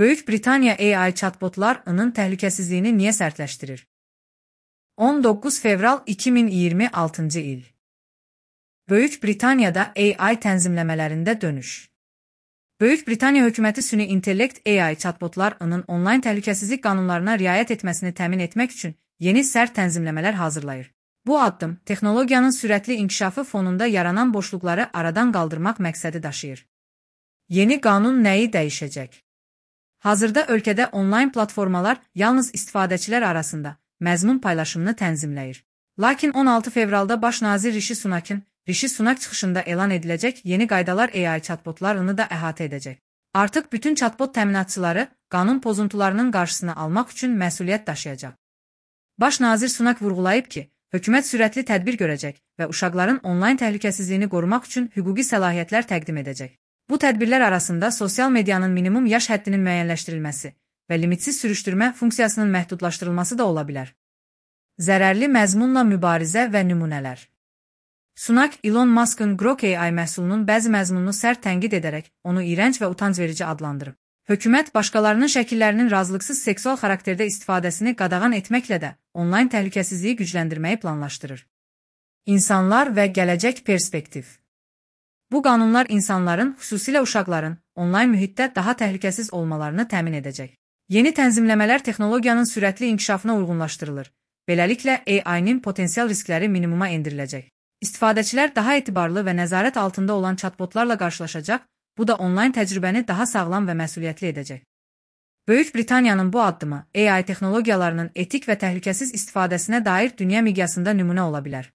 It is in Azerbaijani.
Böyük Britaniya AI chatbotlarının təhlükəsizliyini niyə sərtləşdirir? 19 fevral 2026 il. Böyük Britaniyada AI tənzimləmələrində dönüş. Böyük Britaniya hökuməti süni intellekt AI chatbotlarının onlayn təhlükəsizlik qanunlarına riayət etməsini təmin etmək üçün yeni sərt tənzimləmələr hazırlayır. Bu addım texnologiyanın sürətli inkişafı fonunda yaranan boşluqları aradan qaldırmaq məqsədi daşıyır. Yeni qanun nəyi dəyişəcək? Hazırda ölkədə onlayn platformalar yalnız istifadəçilər arasında məzmun paylaşımını tənzimləyir. Lakin 16 fevralda Baş nazir Rishi Sunak çıxışında elan ediləcək yeni qaydalar AI chatbotlarını da əhatə edəcək. Artıq bütün chatbot təminatçıları qanun pozuntularının qarşısını almaq üçün məsuliyyət daşıyacaq. Baş nazir Sunak vurğulayıb ki, hökumət sürətli tədbir görəcək və uşaqların onlayn təhlükəsizliyini qorumaq üçün hüquqi səlahiyyətlər təqdim edəcək. Bu tədbirlər arasında sosial medianın minimum yaş həddinin müəyyənləşdirilməsi və limitsiz sürüşdürmə funksiyasının məhdudlaşdırılması da ola bilər. Zərərli məzmunla mübarizə və nümunələr. Sunak, Elon Musk'ın Grok AI məhsulunun bəzi məzmununu sərt tənqid edərək onu iyrənc və utancverici adlandırıb. Hökumət başqalarının şəkillərinin razılıqsız seksual xarakterdə istifadəsini qadağan etməklə də onlayn təhlükəsizliyi gücləndirməyi planlaşdırır. İnsanlar və gələcək perspektiv. Bu qanunlar insanların, xüsusilə uşaqların, onlayn mühitdə daha təhlükəsiz olmalarını təmin edəcək. Yeni tənzimləmələr texnologiyanın sürətli inkişafına uyğunlaşdırılır. Beləliklə, AI-nin potensial riskləri minimuma endiriləcək. İstifadəçilər daha etibarlı və nəzarət altında olan chatbotlarla qarşılaşacaq, bu da onlayn təcrübəni daha sağlam və məsuliyyətli edəcək. Böyük Britaniyanın bu addımı AI texnologiyalarının etik və təhlükəsiz istifadəsinə dair dünya miqyasında nümunə ola bilər.